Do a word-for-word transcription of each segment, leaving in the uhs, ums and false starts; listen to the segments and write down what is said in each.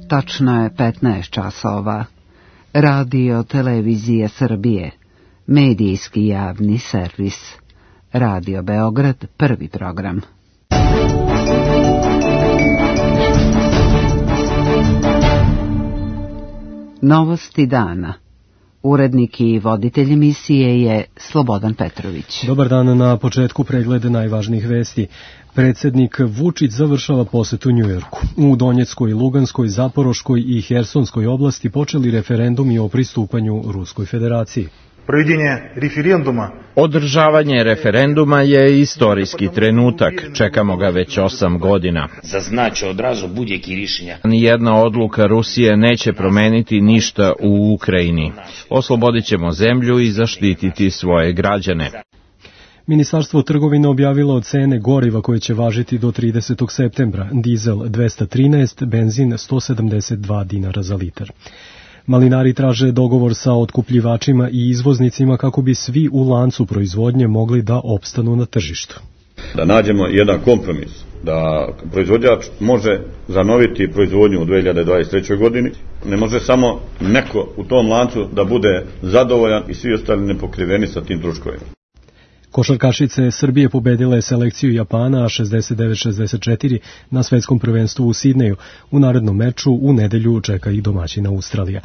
Tačno je petnaest časova. Radio Televizije Srbije, medijski javni servis. Radio Beograd, prvi program. Novosti dana. Urednik i voditelj emisije je Slobodan Petrović. Dobar dan, na početku pregleda najvažnijih vesti. Predsjednik Vučić završava posetu Njujorku. U Donjeckoj, Luganskoj, Zaporoškoj i Hersonskoj oblasti počeli referendumi o pristupanju Ruskoj federaciji. Održavanje referenduma je istorijski trenutak, čekamo ga već osam godina. Nijedna odluka Rusije neće promeniti ništa u Ukrajini. Oslobodit ćemo zemlju i zaštititi svoje građane. Ministarstvo trgovine objavilo cene goriva koje će važiti do tridesetog septembra. Dizel dvesta trinaest, benzin sto sedamdeset dva dinara za litar. Malinari traže dogovor sa otkupljivačima i izvoznicima kako bi svi u lancu proizvodnje mogli da opstanu na tržištu. Da nađemo jedan kompromis, da proizvođač može zanoviti proizvodnju u dve hiljade dvadeset trećoj godini. Ne može samo neko u tom lancu da bude zadovoljan i svi ostali nepokriveni sa tim troškovima. Košarkašice Srbije pobedile selekciju Japana šezdeset devet šezdeset četiri na svetskom prvenstvu u Sidneju. U narednom meču u nedelju čeka ih domaćina Australija.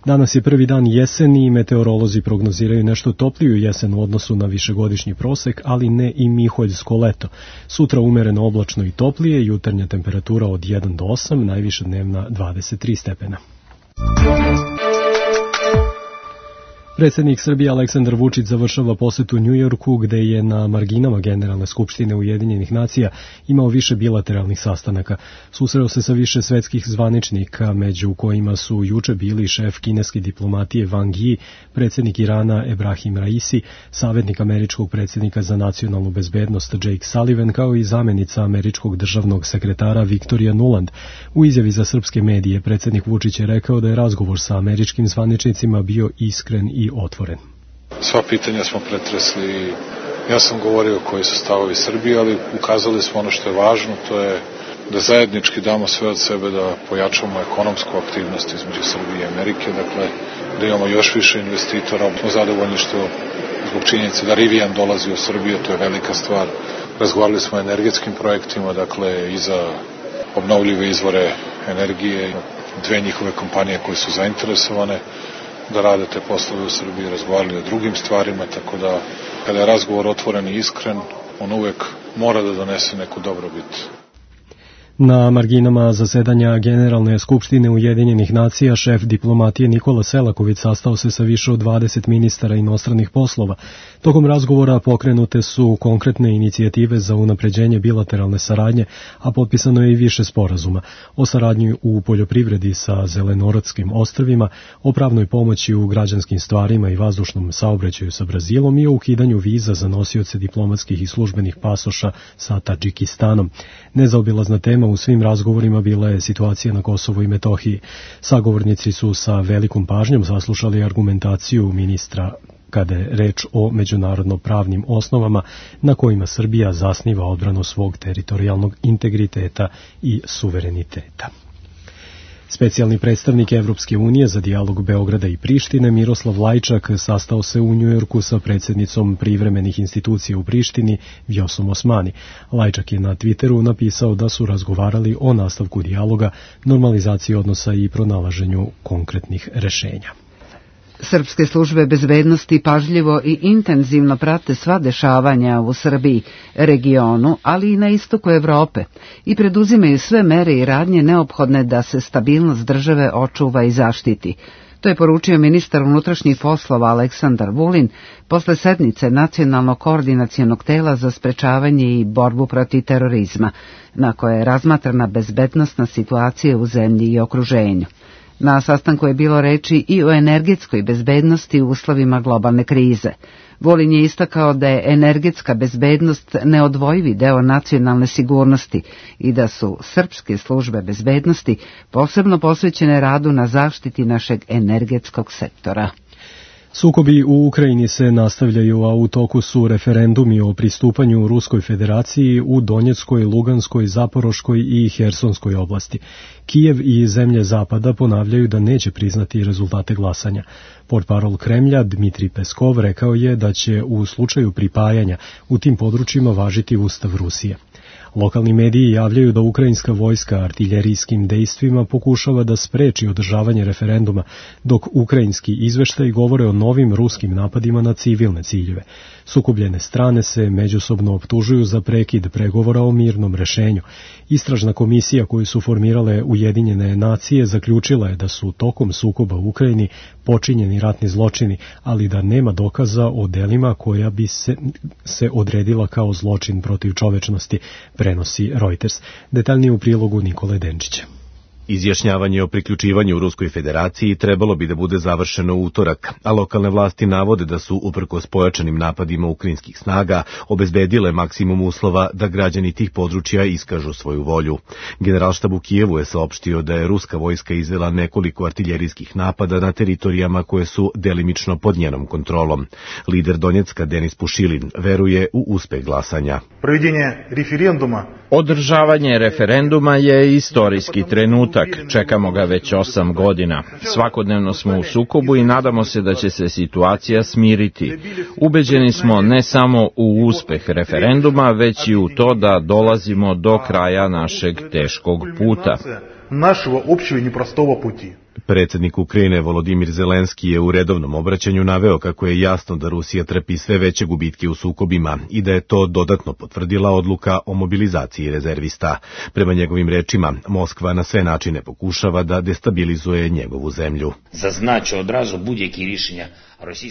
Danas je prvi dan jeseni i meteorolozi prognoziraju nešto topliju jesen u odnosu na višegodišnji prosek, ali ne i miholjsko leto. Sutra umereno oblačno i toplije, jutarnja temperatura od jedan do osam, najviša dnevna dvadeset tri stepena. Predsjednik Srbije Aleksandar Vučić završava posetu Njujorku, gde je na marginama Generalne skupštine Ujedinjenih nacija imao više bilateralnih sastanaka. Susreo se sa više svetskih zvaničnika, među kojima su juče bili šef kineske diplomatije Wang Yi, predsjednik Irana Ebrahim Raisi, savjetnik američkog predsjednika za nacionalnu bezbednost Jake Sullivan, kao i zamjenica američkog državnog sekretara Victoria Nuland. U izjavi za srpske medije predsjednik Vučić je rekao da je razgovor sa američkim zvaničnicima bio iskren i otvoren. Sva pitanja smo pretresli. Ja sam govorio koji su stavovi Srbije, ali ukazali smo ono što je važno, to je da zajednički damo sve od sebe da pojačamo ekonomsku aktivnost između Srbije i Amerike, dakle da imamo još više investitora. Smo zadovoljni što zbog činjenice da Rivian dolazi u Srbiju, to je velika stvar. Razgovarali smo o energetskim projektima, dakle i za obnovljive izvore energije, dve njihove kompanije koje su zainteresovane da rade te poslove u Srbiji, razgovarali o drugim stvarima, tako da kada je razgovor otvoren i iskren, on uvek mora da donese neku dobrobit. Na marginama zasedanja Generalne skupštine Ujedinjenih nacija šef diplomatije Nikola Selaković sastao se sa više od dvadeset ministara inostranih poslova. Tokom razgovora pokrenute su konkretne inicijative za unapređenje bilateralne saradnje, a potpisano je i više sporazuma o saradnji u poljoprivredi sa Zelenorodskim ostrvima, o pravnoj pomoći u građanskim stvarima i vazdušnom saobraćaju sa Brazilom i o ukidanju viza za nosioce diplomatskih i službenih pasoša sa Tadžikistanom. Nezaobilazna tema u svim razgovorima bila je situacija na Kosovu i Metohiji. Sagovornici su sa velikom pažnjom saslušali argumentaciju ministra kada je reč o međunarodno-pravnim osnovama na kojima Srbija zasniva odbranu svog teritorijalnog integriteta i suvereniteta. Specijalni predstavnik Evropske unije za dijalog Beograda i Prištine Miroslav Lajčak sastao se u Njujorku sa predsjednicom privremenih institucija u Prištini Vjosom Osmani. Lajčak je na Twitteru napisao da su razgovarali o nastavku dijaloga, normalizaciji odnosa i pronalaženju konkretnih rešenja. Srpske službe bezbednosti pažljivo i intenzivno prate sva dešavanja u Srbiji, regionu, ali i na istoku Evrope i preduzimaju sve mere i radnje neophodne da se stabilnost države očuva i zaštiti. To je poručio ministar unutrašnjih poslova Aleksandar Vulin posle sednice Nacionalnog koordinacionog tela za sprečavanje i borbu protiv terorizma, na kojoj je razmatrana bezbednosna situacija u zemlji i okruženju. Na sastanku je bilo reči i o energetskoj bezbednosti u uslovima globalne krize. Vulin je istakao da je energetska bezbednost neodvojivi deo nacionalne sigurnosti i da su srpske službe bezbednosti posebno posvećene radu na zaštiti našeg energetskog sektora. Sukobi u Ukrajini se nastavljaju, a u toku su referendumi o pristupanju Ruskoj federaciji u Donjeckoj, Luganskoj, Zaporoškoj i Hersonskoj oblasti. Kijev i zemlje Zapada ponavljaju da neće priznati rezultate glasanja. Portparol Kremlja Dmitrij Peskov rekao je da će u slučaju pripajanja u tim područjima važiti Ustav Rusije. Lokalni mediji javljaju da ukrajinska vojska artiljerijskim dejstvima pokušava da spreči održavanje referenduma, dok ukrajinski izveštaji govore o novim ruskim napadima na civilne ciljeve. Sukobljene strane se međusobno optužuju za prekid pregovora o mirnom rešenju. Istražna komisija koju su formirale Ujedinjene nacije zaključila je da su tokom sukoba u Ukrajini počinjeni ratni zločini, ali da nema dokaza o delima koja bi se, se odredila kao zločin protiv čovečnosti, prenosi Reuters. Detaljnije u prilogu Nikole Denčića. Izjašnjavanje o priključivanju Ruskoj federaciji trebalo bi da bude završeno u utorak, a lokalne vlasti navode da su, uprkos pojačanim napadima ukrajinskih snaga, obezbedile maksimum uslova da građani tih područja iskažu svoju volju. Generalštab u Kijevu je saopštio da je ruska vojska izvela nekoliko artiljerijskih napada na teritorijama koje su delimično pod njenom kontrolom. Lider Donjecka Denis Pušilin veruje u uspeh glasanja. Provedjenje referenduma Održavanje referenduma je istorijski trenutak, čekamo ga već osam godina. Svakodnevno smo u sukobu i nadamo se da će se situacija smiriti. Ubeđeni smo ne samo u uspeh referenduma, već i u to da dolazimo do kraja našeg teškog puta. Našего общего непростого пути. Predsjednik Ukrajine Volodimir Zelenski je u redovnom obraćanju naveo kako je jasno da Rusija trpi sve veće gubitke u sukobima i da je to dodatno potvrdila odluka o mobilizaciji rezervista. Prema njegovim rečima, Moskva na sve načine pokušava da destabilizuje njegovu zemlju. Zaznaču odrazu budjeki rješenja.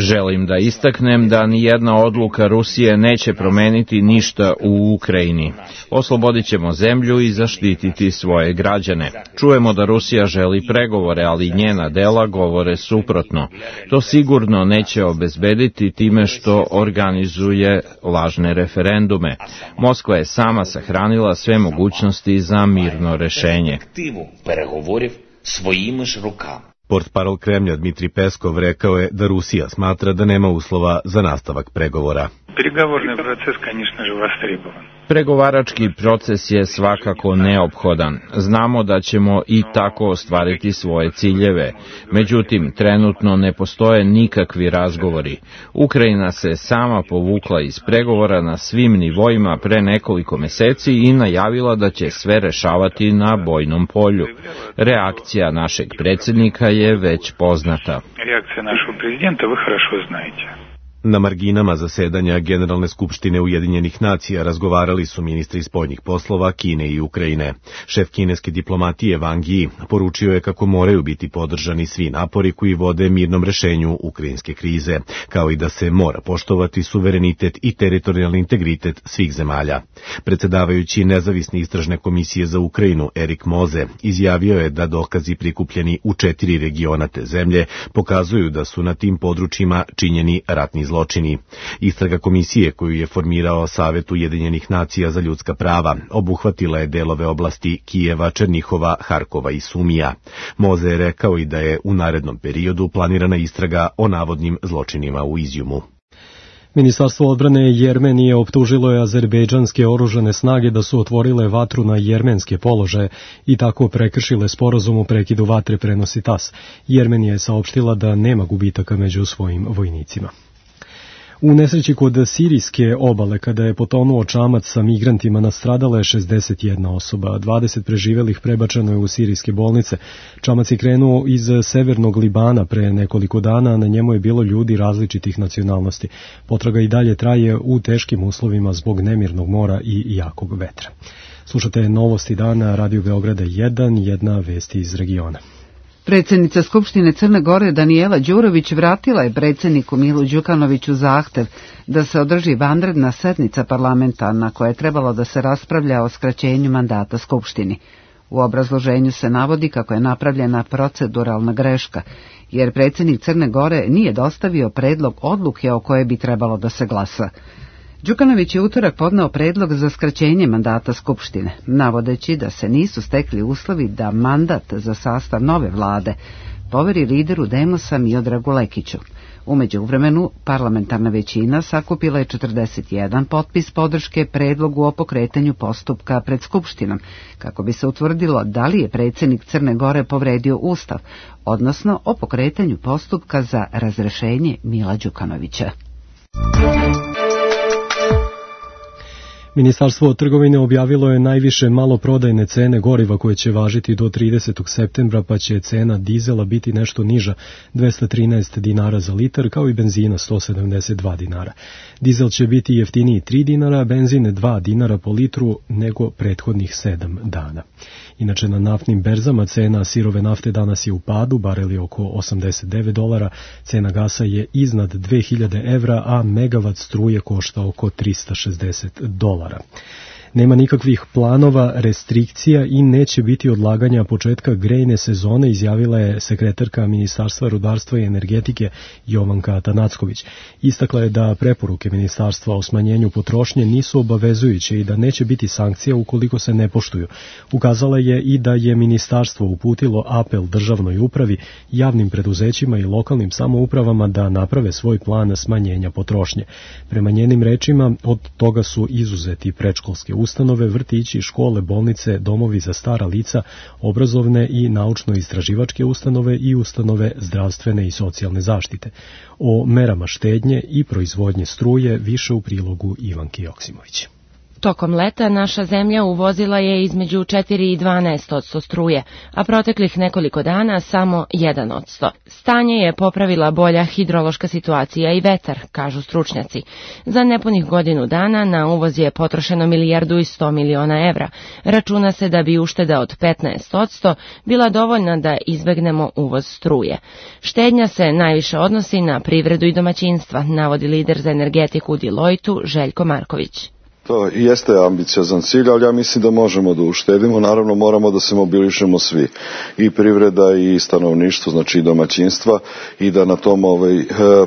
Želim da istaknem da ni jedna odluka Rusije neće promeniti ništa u Ukrajini. Oslobodit ćemo zemlju i zaštititi svoje građane. Čujemo da Rusija želi pregovore, ali njena dela govore suprotno. To sigurno neće obezbediti time što organizuje lažne referendume. Moskva je sama sahranila sve mogućnosti za mirno rešenje. Portparol Kremlja Dmitrij Peskov rekao je da Rusija smatra da nema uslova za nastavak pregovora. Переговорный процесс, конечно же, востребован. Pregovarački proces je svakako neophodan. Znamo da ćemo i tako ostvariti svoje ciljeve. Međutim, trenutno ne postoje nikakvi razgovori. Ukrajina se sama povukla iz pregovora na svim nivoima pre nekoliko meseci i najavila da će sve rešavati na bojnom polju. Reakcija našeg predsjednika je već poznata. Reakcija našeg prezidenta vi хорошо знаете. Na marginama zasedanja Generalne skupštine Ujedinjenih nacija razgovarali su ministri spoljnih poslova Kine i Ukrajine. Šef kineske diplomatije Wang Yi poručio je kako moraju biti podržani svi napori koji vode mirnom rešenju ukrajinske krize, kao i da se mora poštovati suverenitet i teritorijalni integritet svih zemalja. Predsedavajući nezavisne istražne komisije za Ukrajinu Erik Moze izjavio je da dokazi prikupljeni u četiri regiona te zemlje pokazuju da su na tim područjima činjeni ratni zločini. Istraga komisije koju je formirao Savet Ujedinjenih nacija za ljudska prava obuhvatila je delove oblasti Kijeva, Černihova, Harkova i Sumija. Moze je rekao i da je u narednom periodu planirana istraga o navodnim zločinima u Izjumu. Ministarstvo odbrane Jermenije optužilo je azerbejdžanske oružane snage da su otvorile vatru na jermenske položaje i tako prekršile sporazum o prekidu vatre, prenosi tas. Jermenija je saopštila da nema gubitaka među svojim vojnicima. U nesreći kod sirijske obale, kada je potonuo čamac sa migrantima, nastradala je šezdeset jedna osoba, dvadeset preživelih prebačeno je u sirijske bolnice. Čamac je krenuo iz severnog Libana pre nekoliko dana, a na njemu je bilo ljudi različitih nacionalnosti. Potraga i dalje traje u teškim uslovima zbog nemirnog mora i jakog vetra. Slušate Novosti dana, Radio Beograda jedan, jedna vesti iz regiona. Predsjednica Skupštine Crne Gore Danijela Đurović vratila je predsjedniku Milu Đukanoviću zahtev da se održi vanredna sednica parlamenta na koja je trebalo da se raspravlja o skraćenju mandata Skupštini. U obrazloženju se navodi kako je napravljena proceduralna greška, jer predsjednik Crne Gore nije dostavio predlog odluke o kojoj bi trebalo da se glasa. Đukanović je utorak podneo predlog za skraćenje mandata Skupštine, navodeći da se nisu stekli uslovi da mandat za sastav nove vlade poveri lideru Demosa Miodragu Lekiću. U međuvremenu, parlamentarna većina sakupila je četrdeset jedan potpis podrške predlogu o pokretanju postupka pred Skupštinom, kako bi se utvrdilo da li je predsjednik Crne Gore povredio Ustav, odnosno o pokretanju postupka za razrešenje Mila Đukanovića. Ministarstvo trgovine objavilo je najviše maloprodajne cene goriva koje će važiti do tridesetog septembra, pa će cena dizela biti nešto niža, dvesta trinaest dinara za litar, kao i benzina sto sedamdeset dva dinara. Dizel će biti jeftiniji tri dinara, benzin dva dinara po litru nego prethodnih sedam dana. Inače, na naftnim berzama cena sirove nafte danas je u padu, barel je oko osamdeset devet dolara, cena gasa je iznad dve hiljade evra, a megavat struje košta oko trista šezdeset dolara. Nema nikakvih planova, restrikcija i neće biti odlaganja početka grejne sezone, izjavila je sekretarka Ministarstva rudarstva i energetike Jovanka Tanacković. Istakla je da preporuke Ministarstva o smanjenju potrošnje nisu obavezujuće i da neće biti sankcija ukoliko se ne poštuju. Ukazala je i da je Ministarstvo uputilo apel državnoj upravi, javnim preduzećima i lokalnim samoupravama da naprave svoj plan smanjenja potrošnje. Prema njenim rečima, od toga su izuzeti predškolske ustanove, vrtići, škole, bolnice, domovi za stara lica, obrazovne i naučno-istraživačke ustanove i ustanove zdravstvene i socijalne zaštite. O merama štednje i proizvodnje struje više u prilogu Ivanke Joksimović. Tokom leta naša zemlja uvozila je između četiri i dvanaest odsto struje, a proteklih nekoliko dana samo jedan odsto. Stanje je popravila bolja hidrološka situacija i vetar, kažu stručnjaci. Za nepunih godinu dana na uvoz je potrošeno milijardu i sto miliona evra. Računa se da bi ušteda od petnaest odsto bila dovoljna da izbegnemo uvoz struje. Štednja se najviše odnosi na privredu i domaćinstva, navodi lider za energetiku u Deloitu Željko Marković. To jeste ambiciozan cilj, ali ja mislim da možemo da uštedimo. Naravno, moramo da se mobilišemo svi, i privreda i stanovništvo, znači i domaćinstva, i da na tom ovaj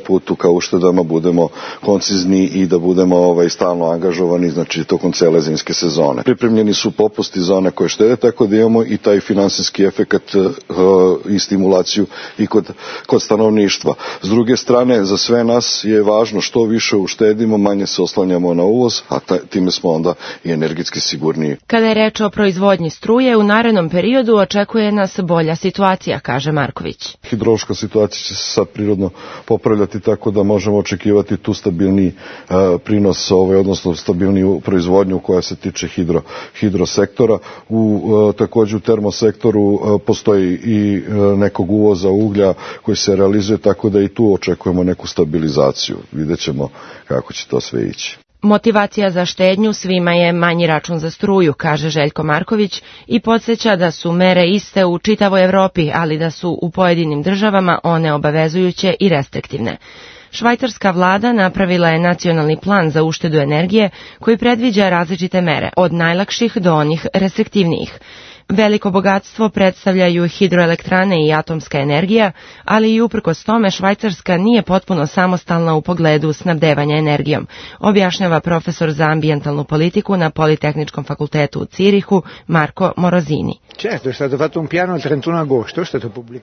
putu ka uštedama budemo koncizni i da budemo ovaj stalno angažovani, znači tokom cele zimske sezone. Pripremljeni su popusti za one koje štede, tako da imamo i taj finansijski efekat i stimulaciju i kod, kod stanovništva. S druge strane, za sve nas je važno što više uštedimo, manje se oslanjamo na uvoz, a taj time smo onda i energetski sigurniji. Kada je reč o proizvodnji struje, u narednom periodu očekuje nas bolja situacija, kaže Marković. Hidrološka situacija će se sad prirodno popravljati, tako da možemo očekivati tu stabilni uh, prinos, ovaj, odnosno stabilniju proizvodnju koja se tiče hidro, hidrosektora. U, uh, također u termosektoru uh, postoji i uh, nekog uvoza uglja koji se realizuje, tako da i tu očekujemo neku stabilizaciju. Vidjet ćemo kako će to sve ići. Motivacija za štednju svima je manji račun za struju, kaže Željko Marković, i podsjeća da su mere iste u čitavoj Evropi, ali da su u pojedinim državama one obavezujuće i restriktivne. Švajcarska vlada napravila je nacionalni plan za uštedu energije koji predviđa različite mere, od najlakših do onih restriktivnijih. Veliko bogatstvo predstavljaju hidroelektrane i atomska energija, ali i uprkos tome Švajcarska nije potpuno samostalna u pogledu snabdevanja energijom, objašnjava profesor za ambijentalnu politiku na Politehničkom fakultetu u Cirihu Marko Morozini.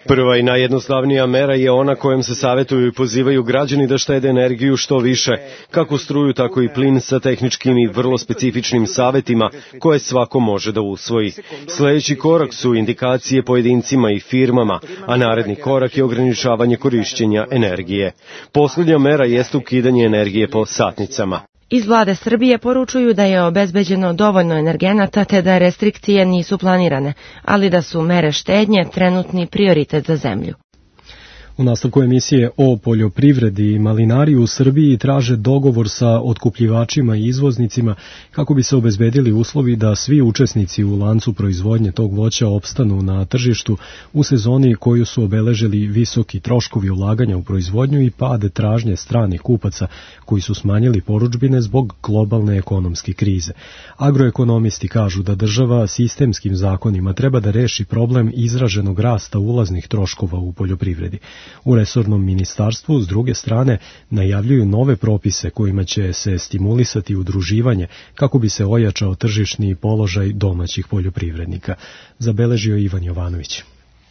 Prva i najjednostavnija mera je ona kojom se savjetuju i pozivaju građani da štede energiju što više, kako struju, tako i plin, sa tehničkim i vrlo specifičnim savjetima koje svako može da usvoji. Sljedeći korak su indikacije pojedincima i firmama, a naredni korak je ograničavanje korišćenja energije. Posljednja mera jeste ukidanje energije po satnicama. Iz vlade Srbije poručuju da je obezbeđeno dovoljno energenata te da restrikcije nisu planirane, ali da su mere štednje trenutni prioritet za zemlju. U nastavku emisije o poljoprivredi i malinari u Srbiji traže dogovor sa otkupljivačima i izvoznicima kako bi se obezbedili uslovi da svi učesnici u lancu proizvodnje tog voća opstanu na tržištu u sezoni koju su obeležili visoki troškovi ulaganja u proizvodnju i pad tražnje stranih kupaca koji su smanjili porudžbine zbog globalne ekonomske krize. Agroekonomisti kažu da država sistemskim zakonima treba da reši problem izraženog rasta ulaznih troškova u poljoprivredi. U resornom ministarstvu, s druge strane, najavljuju nove propise kojima će se stimulisati udruživanje kako bi se ojačao tržišni položaj domaćih poljoprivrednika, zabeležio Ivan Jovanović.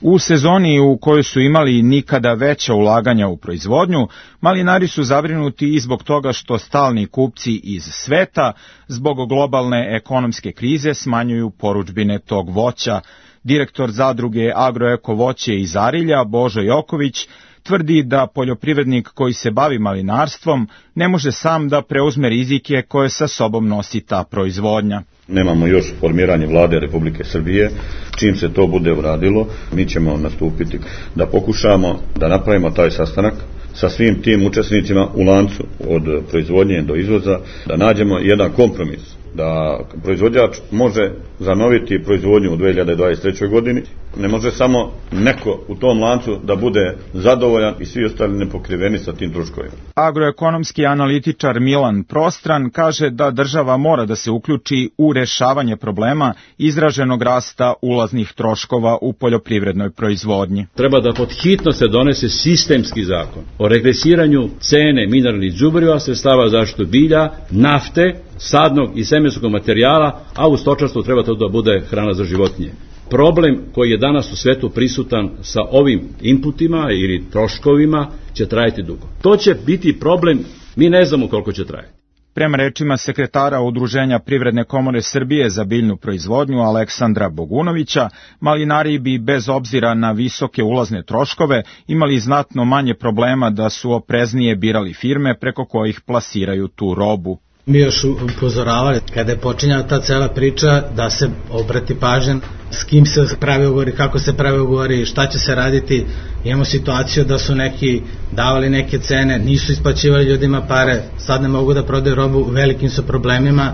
U sezoni u kojoj su imali nikada veća ulaganja u proizvodnju, malinari su zabrinuti i zbog toga što stalni kupci iz sveta zbog globalne ekonomske krize smanjuju porudžbine tog voća. Direktor zadruge Agroeko voće iz Arilja, Božo Joković, tvrdi da poljoprivrednik koji se bavi malinarstvom ne može sam da preuzme rizike koje sa sobom nosi ta proizvodnja. Nemamo još formiranje vlade Republike Srbije. Čim se to bude uradilo, mi ćemo nastupiti da pokušamo da napravimo taj sastanak sa svim tim učesnicima u lancu od proizvodnje do izvoza, da nađemo jedan kompromis, da proizvođač može zanoviti proizvodnju u dve hiljade dvadeset trećoj godini. Ne može samo neko u tom lancu da bude zadovoljan i svi ostali nepokriveni sa tim troškovima. Agroekonomski analitičar Milan Prostran kaže da država mora da se uključi u rešavanje problema izraženog rasta ulaznih troškova u poljoprivrednoj proizvodnji. Treba da pod hitno se donese sistemski zakon o regresiranju cene mineralnih đubriva, sredstava za zaštitu bilja, nafte, sadnog i semenskog materijala, a u stočarstvu treba to da bude hrana za životinje. Problem koji je danas u svetu prisutan sa ovim inputima ili troškovima će trajati dugo. To će biti problem, mi ne znamo koliko će trajati. Prema rečima sekretara Udruženja Privredne komore Srbije za biljnu proizvodnju Aleksandra Bogunovića, malinari bi bez obzira na visoke ulazne troškove imali znatno manje problema da su opreznije birali firme preko kojih plasiraju tu robu. Mi još upozoravali kada je počinjala ta cela priča da se obrati pažnja s kim se pravi ugovori, kako se pravi ugovori, šta će se raditi. Imamo situaciju da su neki davali neke cene, nisu isplaćivali ljudima pare, sad ne mogu da prodaju robu, u velikim su problemima.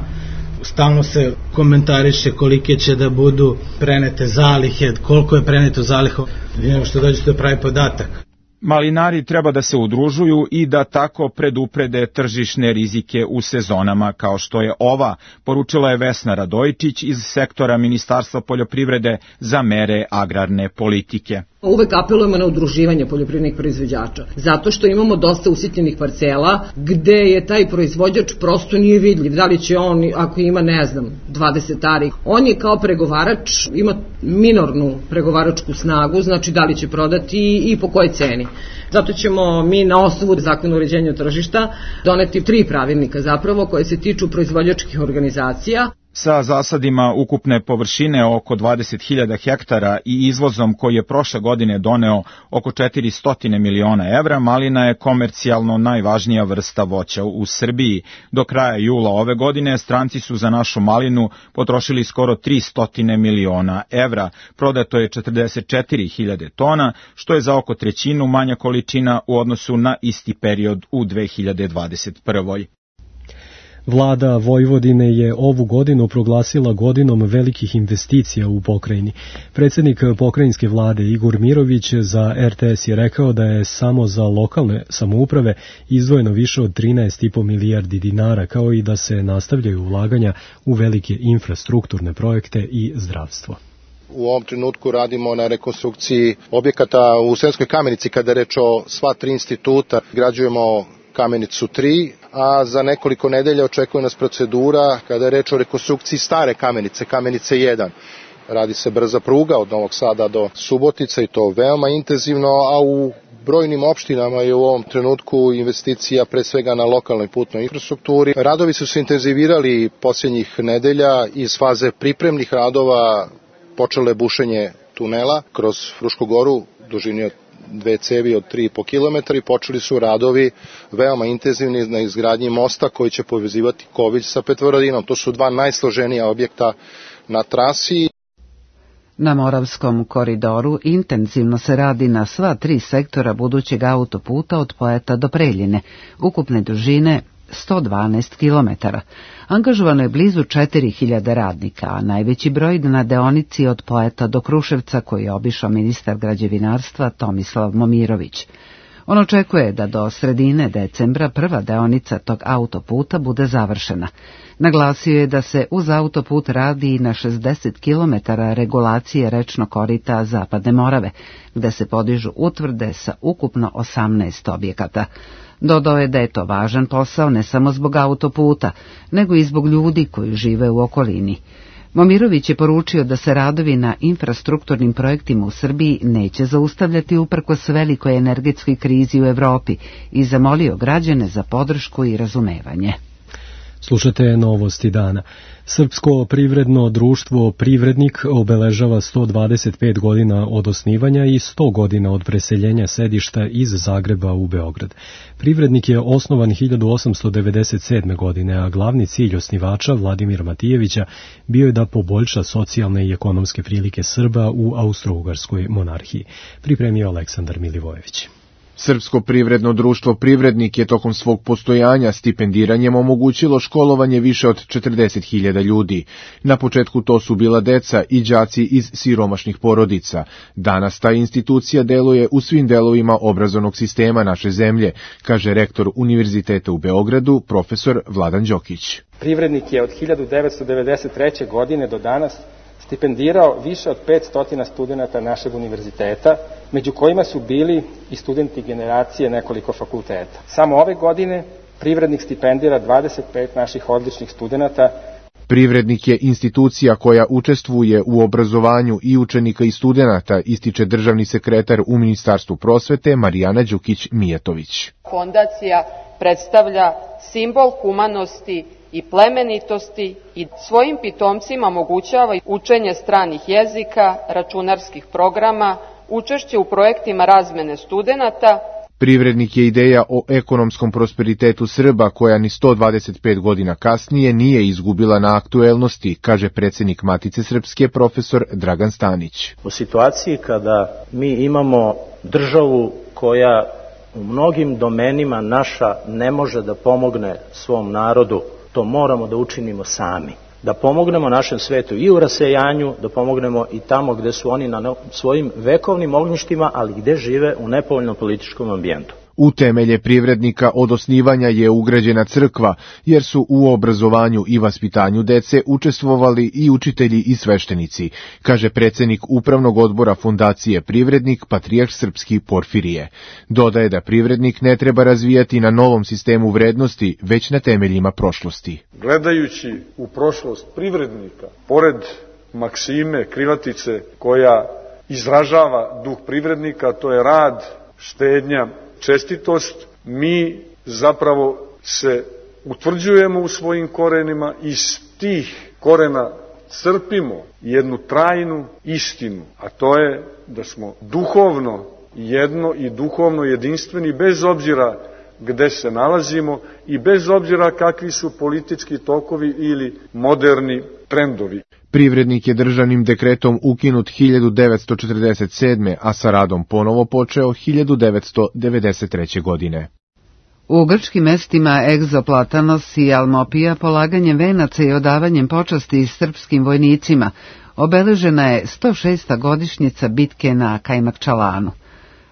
Stalno se komentariše kolike će da budu prenete zalihe, koliko je preneto zaliha, vidimo što dođe do pravi podatak. Malinari treba da se udružuju i da tako preduprede tržišne rizike u sezonama kao što je ova, poručila je Vesna Radojičić iz sektora Ministarstva poljoprivrede za mere agrarne politike. Uvek apelujemo na udruživanje poljoprivrednih proizvođača, zato što imamo dosta usitnjenih parcela gde je taj proizvođač prosto nije vidljiv, da li će on, ako ima, ne znam, dvadeset ari, on je kao pregovarač, ima minornu pregovaračku snagu, znači da li će prodati i po kojoj ceni. Zato ćemo mi na osnovu zakona o uređenju tržišta doneti tri pravilnika zapravo koje se tiču proizvođačkih organizacija. Sa zasadima ukupne površine oko dvadeset hiljada hektara i izvozom koji je prošle godine doneo oko četiristo miliona evra, malina je komercijalno najvažnija vrsta voća u Srbiji. Do kraja jula ove godine stranci su za našu malinu potrošili skoro tristo miliona evra. Prodato je četrdeset četiri hiljade tona, što je za oko trećinu manja količina u odnosu na isti period u dve hiljade dvadeset prvoj. Vlada Vojvodine je ovu godinu proglasila godinom velikih investicija u pokrajini. Predsjednik pokrajinske vlade Igor Mirović za er te es je rekao da je samo za lokalne samouprave izdvojeno više od trinaest i po milijardi dinara, kao i da se nastavljaju ulaganja u velike infrastrukturne projekte i zdravstvo. U ovom trenutku radimo na rekonstrukciji objekata u Sremskoj Kamenici kada je reč o sva tri instituta. Građujemo Kamenicu tri, a za nekoliko nedelja očekuje nas procedura kada je reč o rekonstrukciji stare Kamenice, Kamenice jedan. Radi se brza pruga od Novog Sada do Subotice i to veoma intenzivno, a u brojnim opštinama je u ovom trenutku investicija pre svega na lokalnoj putnoj infrastrukturi. Radovi su se intenzivirali posljednjih nedelja iz faze pripremnih radova, počelo je bušenje tunela kroz Frušku goru, dužini od dve cevi od tri i po kilometra i počeli su radovi veoma intenzivni na izgradnji mosta koji će povezivati Kovilj sa Petrovaradinom. To su dva najsloženija objekta na trasi. Na Moravskom koridoru intenzivno se radi na sva tri sektora budućeg autoputa od Pojata do Preljine, ukupne dužine sto dvanaest kilometara. Angažovano je blizu četiri hiljade radnika, a najveći broj na deonici od Pojata do Kruševca koji je obišao ministar građevinarstva Tomislav Momirović. On očekuje da do sredine decembra prva deonica tog autoputa bude završena. Naglasio je da se uz autoput radi i na šezdeset kilometara regulacije rečnog korita Zapadne Morave, gde se podižu utvrde sa ukupno osamnaest objekata. Dodao je da je to važan posao ne samo zbog autoputa, nego i zbog ljudi koji žive u okolini. Momirović je poručio da se radovi na infrastrukturnim projektima u Srbiji neće zaustavljati uprkos velikoj energetskoj krizi u Evropi i zamolio građane za podršku i razumevanje. Slušate novosti dana. Srpsko privredno društvo Privrednik obeležava sto dvadeset pet godina od osnivanja i sto godina od preseljenja sedišta iz Zagreba u Beograd. Privrednik je osnovan hiljadu osamsto devedeset sedme. godine, a glavni cilj osnivača Vladimira Matijevića bio je da poboljša socijalne i ekonomske prilike Srba u Austro-Ugarskoj monarhiji. Pripremio Aleksandar Milivojević. Srpsko privredno društvo Privrednik je tokom svog postojanja stipendiranjem omogućilo školovanje više od četrdeset hiljada ljudi. Na početku to su bila deca i đaci iz siromašnih porodica. Danas ta institucija deluje u svim delovima obrazovnog sistema naše zemlje, kaže rektor Univerziteta u Beogradu, profesor Vladan Đokić. Privrednik je od hiljadu devetsto devedeset treće. godine do danas stipendirao više od petsto studenta našeg univerziteta, među kojima su bili i studenti generacije nekoliko fakulteta. Samo ove godine Privrednik stipendira dvadeset pet naših odličnih studenta. Privrednik je institucija koja učestvuje u obrazovanju i učenika i studenata, ističe državni sekretar u Ministarstvu prosvete Marijana Đukić-Mijatović. Fondacija predstavlja simbol humanosti i plemenitosti i svojim pitomcima omogućava učenje stranih jezika, računarskih programa, učešće u projektima razmene studenata. Privrednik je ideja o ekonomskom prosperitetu Srba koja ni sto dvadeset pet godina kasnije nije izgubila na aktuelnosti, kaže predsjednik Matice Srpske profesor Dragan Stanić. U situaciji kada mi imamo državu koja u mnogim domenima naša ne može da pomogne svom narodu, to moramo da učinimo sami. Da pomognemo našem svetu i u rasejanju, da pomognemo i tamo gde su oni na svojim vekovnim ognjištima, ali gde žive u nepovoljnom političkom ambijentu. U temelje Privrednika od osnivanja je ugrađena crkva, jer su u obrazovanju i vaspitanju dece učestvovali i učitelji i sveštenici, kaže predsjednik Upravnog odbora Fondacije Privrednik, patrijarh srpski Porfirije. Dodaje da Privrednik ne treba razvijati na novom sistemu vrednosti, već na temeljima prošlosti. Gledajući u prošlost Privrednika, pored maksime, krilatice koja izražava duh Privrednika, to je rad, štednja, čestitost, mi zapravo se utvrđujemo u svojim korenima i iz tih korena crpimo jednu trajnu istinu, a to je da smo duhovno jedno i duhovno jedinstveni bez obzira gde se nalazimo i bez obzira kakvi su politički tokovi ili moderni trendovi. Privrednik je državnim dekretom ukinut hiljadu devetsto četrdeset sedme. a sa radom ponovo počeo hiljadu devetsto devedeset treće. godine. U grčkim mestima Egzoplatanos i Almopija polaganjem venaca i odavanjem počasti srpskim vojnicima obeležena je sto šesta godišnjica bitke na Kajmakčalanu.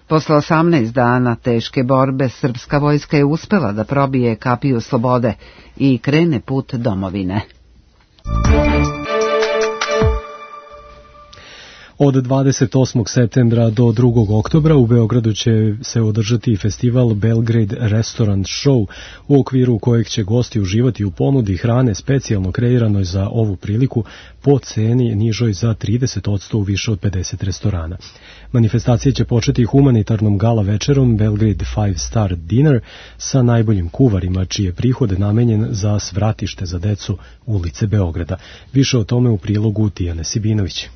Posle osamnaest dana teške borbe srpska vojska je uspela da probije kapiju slobode i krene put domovine. Od dvadeset osmog septembra do drugog oktobra u Beogradu će se održati festival Belgrade Restaurant Show, u okviru kojeg će gosti uživati u ponudi hrane specijalno kreiranoj za ovu priliku po ceni nižoj za trideset posto u više od pedeset restorana. Manifestacija će početi humanitarnom gala večerom Belgrade Five Star Dinner sa najboljim kuvarima, čiji je prihod namenjen za svratište za decu ulice Beograda. Više o tome u prilogu Tijane Sibinović.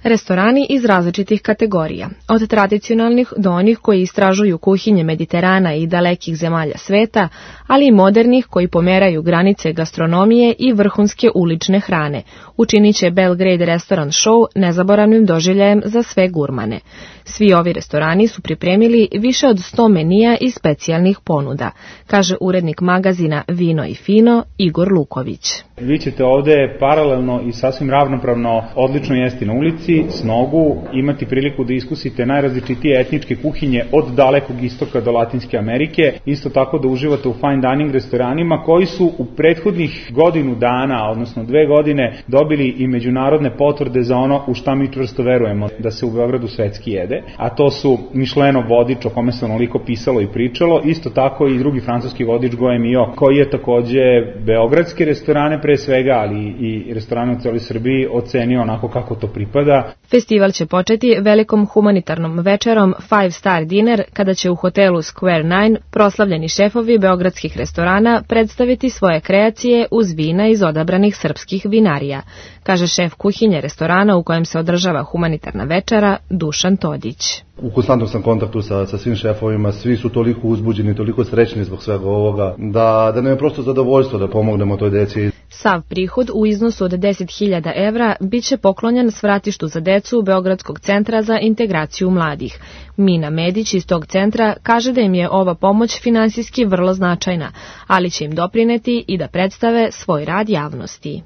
Restorani iz različitih kategorija, od tradicionalnih do onih koji istražuju kuhinje Mediterana i dalekih zemalja sveta, ali i modernih koji pomeraju granice gastronomije i vrhunske ulične hrane, učinit će Belgrade Restaurant Show nezaboravnim doživljajem za sve gurmane. Svi ovi restorani su pripremili više od sto menija i specijalnih ponuda, kaže urednik magazina Vino i Fino Igor Luković. Vi ćete ovde paralelno i sasvim ravnopravno odlično jesti na ulici doći s nogu, imati priliku da iskusite najrazličitije etničke kuhinje od dalekog istoka do Latinske Amerike, isto tako da uživate u fine dining restoranima koji su u prethodnih godinu dana, odnosno dve godine, dobili i međunarodne potvrde za ono u šta mi čvrsto verujemo, da se u Beogradu svetski jede, a to su Michelinov vodič o kome se onoliko pisalo i pričalo, isto tako i drugi francuski vodič Goemio, koji je takođe beogradske restorane pre svega, ali i restorane u celoj Srbiji ocenio onako kako to pripada. Festival će početi velikom humanitarnom večerom Five Star Dinner, kada će u hotelu Square Nine proslavljeni šefovi beogradskih restorana predstaviti svoje kreacije uz vina iz odabranih srpskih vinarija, kaže šef kuhinje restorana u kojem se održava humanitarna večera Dušan Todić. U konstantnom sam kontaktu sa, sa svim šefovima, svi su toliko uzbuđeni, toliko srećni zbog svega ovoga, da, da nam je prosto zadovoljstvo da pomognemo toj deci. Sav prihod u iznosu od deset hiljada evra bit će poklonjen svratištu za decu Beogradskog centra za integraciju mladih. Mina Medić iz tog centra kaže da im je ova pomoć finansijski vrlo značajna, ali će im doprineti i da predstave svoj rad javnosti.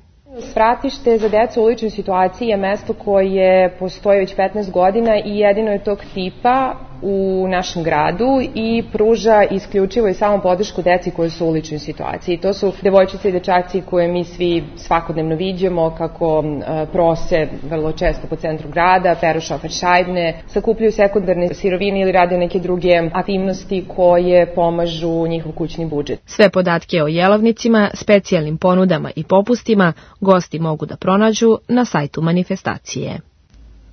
Svratište za decu u uličnoj situaciji je mesto koje postoji već petnaest godina i jedino je tog tipa u našem gradu i pruža isključivo i samo podršku deci koji su u uličnoj situaciji. To su devojčice i dečaci koje mi svi svakodnevno viđemo kako prose vrlo često po centru grada, peru šoferšajbne, sakupljaju sekundarne sirovine ili rade neke druge aktivnosti koje pomažu njihov kućni budžet. Sve podatke o jelovnicima, specijalnim ponudama i popustima gosti mogu da pronađu na sajtu manifestacije.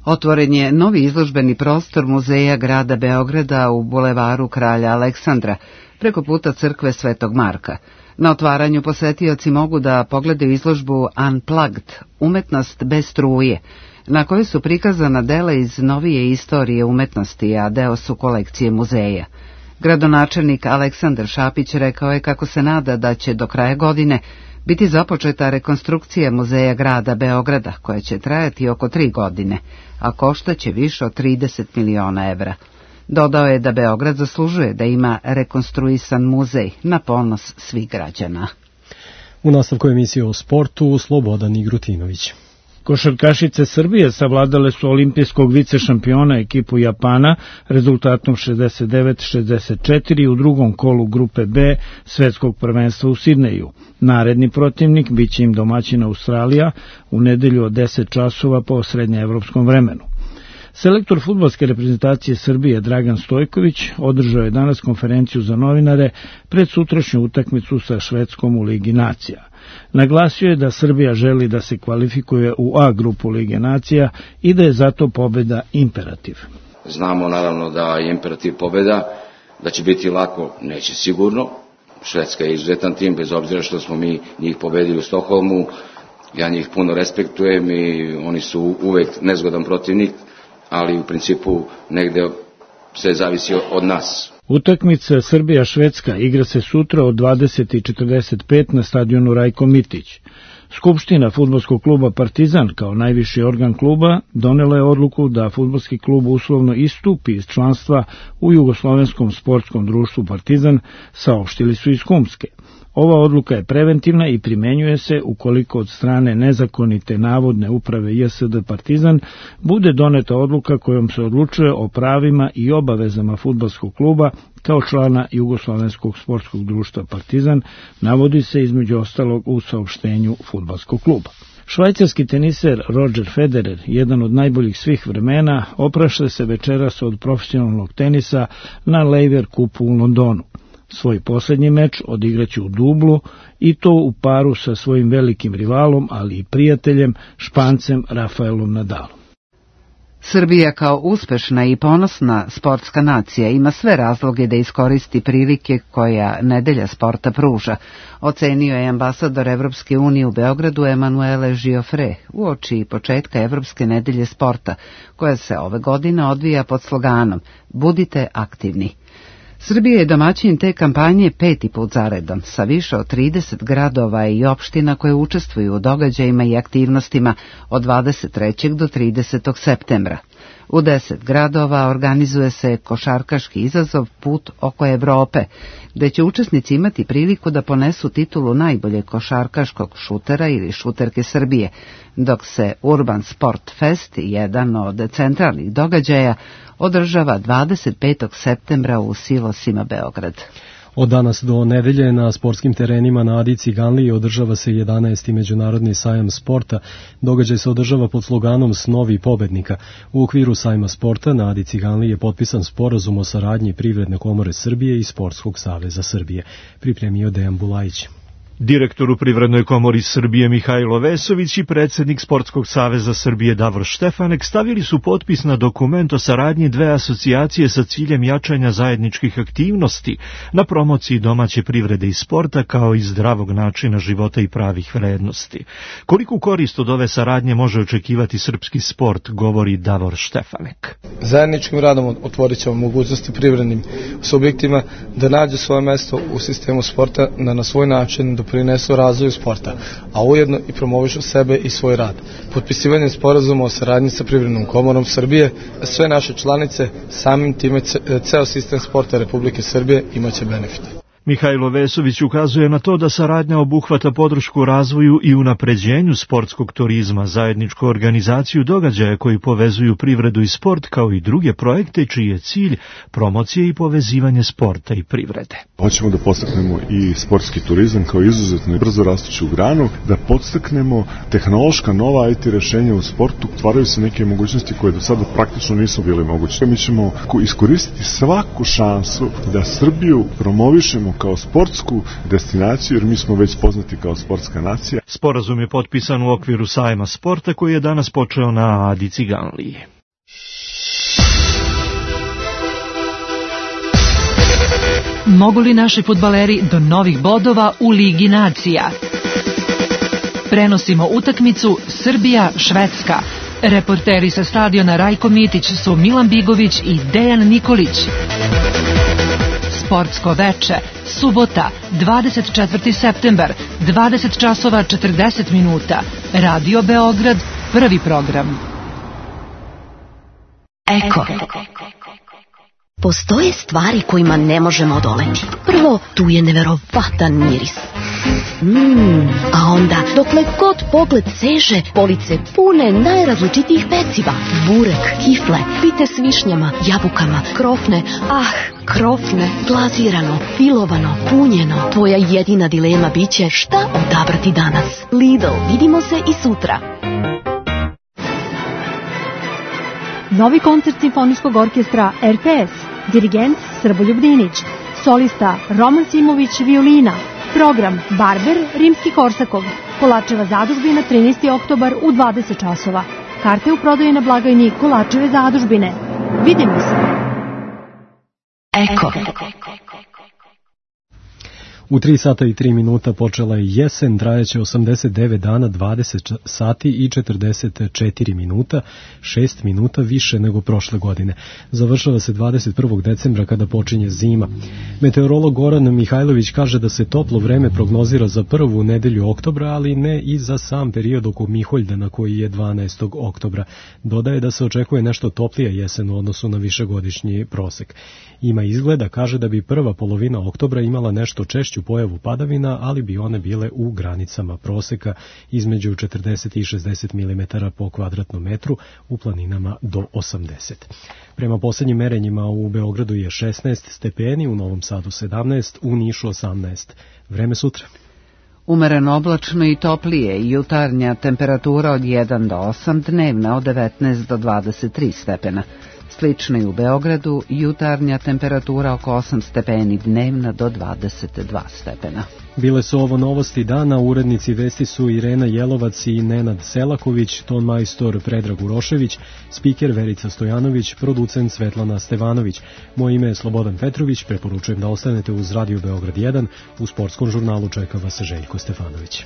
Otvoren je novi izložbeni prostor Muzeja grada Beograda u bulevaru Kralja Aleksandra, preko puta crkve Svetog Marka. Na otvaranju posetioci mogu da pogledaju izložbu Unplugged, umetnost bez struje, na kojoj su prikazana dela iz novije istorije umetnosti, a deo su kolekcije muzeja. Gradonačelnik Aleksandar Šapić rekao je kako se nada da će do kraja godine biti započeta rekonstrukcija Muzeja grada Beograda, koja će trajati oko tri godine, a koštaće više od trideset miliona evra. Dodao je da Beograd zaslužuje da ima rekonstruisan muzej na ponos svih građana. U nastavku emisije o sportu Slobodan Igrutinović. Košarkašice Srbije savladale su olimpijskog vicešampiona ekipu Japana rezultatom šezdeset devet šezdeset četiri u drugom kolu grupe B svetskog prvenstva u Sidneju. Naredni protivnik biće im domaćina Australija u nedelju od deset časova po srednjeevropskom vremenu. Selektor fudbalske reprezentacije Srbije Dragan Stojković održao je danas konferenciju za novinare pred sutrašnju utakmicu sa Švedskom u Ligi nacija. Naglasio je da Srbija želi da se kvalifikuje u A grupu Lige nacija i da je zato pobeda imperativ. Znamo naravno da je imperativ pobeda, da će biti lako, neće sigurno. Švedska je izuzetan tim, bez obzira što smo mi njih pobedili u Stokholmu. Ja njih puno respektujem i oni su uvek nezgodan protivnik, ali u principu negde sve zavisi od nas. Utakmica Srbija-Švedska igra se sutra od dvadeset i četrdeset pet na stadionu Rajko Mitić. Skupština fudbalskog kluba Partizan kao najviši organ kluba donela je odluku da fudbalski klub uslovno istupi iz članstva u Jugoslovenskom sportskom društvu Partizan, saopštili su iz Humske. Ova odluka je preventivna i primenjuje se ukoliko od strane nezakonite navodne uprave J S D Partizan bude doneta odluka kojom se odlučuje o pravima i obavezama fudbalskog kluba kao člana Jugoslovenskog sportskog društva Partizan, navodi se između ostalog u saopštenju fudbalskog kluba. Švajcarski teniser Roger Federer, jedan od najboljih svih vremena, oprašta se večeras od profesionalnog tenisa na Laver Cupu u Londonu. Svoj posljednji meč odigraće u dublu i to u paru sa svojim velikim rivalom, ali i prijateljem, Špancem Rafaelom Nadalom. Srbija kao uspešna i ponosna sportska nacija ima sve razloge da iskoristi prilike koja nedelja sporta pruža, ocenio je ambasador Evropske unije u Beogradu Emanuele Giofre uoči početka Evropske nedelje sporta, koja se ove godine odvija pod sloganom Budite aktivni. Srbija je domaćin te kampanje peti put zaredom, sa više od trideset gradova i opština koje učestvuju u događajima i aktivnostima od dvadeset trećeg do tridesetog septembra. U deset gradova organizuje se košarkaški izazov Put oko Evrope, gde će učesnici imati priliku da ponesu titulu najboljeg košarkaškog šutera ili šuterke Srbije, dok se Urban Sport Fest, jedan od centralnih događaja, održava dvadeset petog septembra u Silosima Beograd. Od danas do nedelje na sportskim terenima na Adi Ciganliji održava se jedanaesti međunarodni sajam sporta. Događaj se održava pod sloganom Snovi pobednika. U okviru sajma sporta na Adi Ciganliji je potpisan sporazum o saradnji Privredne komore Srbije i Sportskog saveza Srbije. Pripremio Dejan Bulajić. Direktor u Privrednoj komori Srbije Mihajlo Vesović i predsjednik Sportskog saveza Srbije Davor Štefanek stavili su potpis na dokument o saradnji dve asocijacije sa ciljem jačanja zajedničkih aktivnosti na promociji domaće privrede i sporta kao i zdravog načina života i pravih vrednosti. Koliku korist od ove saradnje može očekivati srpski sport, govori Davor Štefanek. Zajedničkim radom otvorit ćemo mogućnosti privrednim subjektima da nađu svoje mesto u sistemu sporta, da na svoj način doprinesu razvoju sporta, a ujedno i promovišu sebe i svoj rad. Potpisivanjem sporazuma o saradnji sa Privrednom komorom Srbije, sve naše članice, samim time ceo sistem sporta Republike Srbije imaće benefite. Mihajlo Vesović ukazuje na to da saradnja obuhvata podršku razvoju i unapređenju sportskog turizma, zajedničku organizaciju događaja koji povezuju privredu i sport, kao i druge projekte čiji je cilj promocije i povezivanje sporta i privrede. Hoćemo da podstaknemo i sportski turizam kao izuzetno i brzo rastuću granu, da podstaknemo tehnološka nova I T rešenja u sportu, stvaraju se neke mogućnosti koje do sada praktično nisu bile moguće. Mi ćemo iskoristiti svaku šansu da Srbiju promovišemo kao sportsku destinaciju, jer mi smo već poznati kao sportska nacija. Sporazum je potpisan u okviru sajma sporta koji je danas počeo na Adi Ciganliji. Mogu li naši fudbaleri do novih bodova u Ligi nacija? Prenosimo utakmicu Srbija-Švedska. Reporteri sa stadiona Rajko Mitić su Milan Bigović i Dejan Nikolić. Sportsko veče, subota, dvadeset četvrti septembar, dvadeset časova četrdeset minuta. Radio Beograd, prvi program. Eko. Postoje stvari kojima ne možemo odoleti. Prvo, tu je neverovatan miris. Mmm, a onda, dokle god pogled seže, police pune najrazličitijih peciva. Burek, kifle, pite s višnjama, jabukama, krofne, ah, krofne, glazirano, filovano, punjeno. Tvoja jedina dilema biće šta odabrati danas. Lidl, vidimo se i sutra. Novi koncert Simfonijskog orkestra R T S, dirigent Srboljub Dinić, solista Roman Simović violina, program Barber Rimski-Korsakov, Kolačeva zadužbina trinaesti oktobar u dvadeset časova. Karte u prodaji na blagajni Kolačeve zadužbine. Vidimo se. Eko. U tri sata i tri minuta počela je jesen, trajeće osamdeset devet dana, dvadeset sati i četrdeset četiri minuta, šest minuta više nego prošle godine. Završava se dvadeset prvog decembra kada počinje zima. Meteorolog Goran Mihajlović kaže da se toplo vreme prognozira za prvu nedelju oktobra, ali ne i za sam period oko Miholjdana koji je dvanaestog oktobra. Dodaje da se očekuje nešto toplija jesen u odnosu na višegodišnji prosek. Ima izgleda, kaže da bi prva polovina oktobra imala nešto češću pojavu padavina, ali bi one bile u granicama proseka između četrdeset i šezdeset milimetara po kvadratnom metru, u planinama do osamdeset. Prema posljednjim merenjima u Beogradu je šesnaest stepeni, u Novom Sadu sedamnaest, u Nišu osamnaest. Vreme sutra. Umereno oblačno i toplije, jutarnja temperatura od jedan do osam, dnevna od devetnaest do dvadeset tri stepena. Slično i u Beogradu, jutarnja temperatura oko osam stepeni, dnevna do dvadeset dva stepena. Bile su ovo novosti dana, urednici vesti su Irena Jelovac i Nenad Selaković, ton majstor Predrag Urošević, spiker Verica Stojanović, producent Svetlana Stevanović. Moje ime je Slobodan Petrović, preporučujem da ostanete uz Radio Beograd jedan, u sportskom žurnalu čeka vas Željko Stefanović.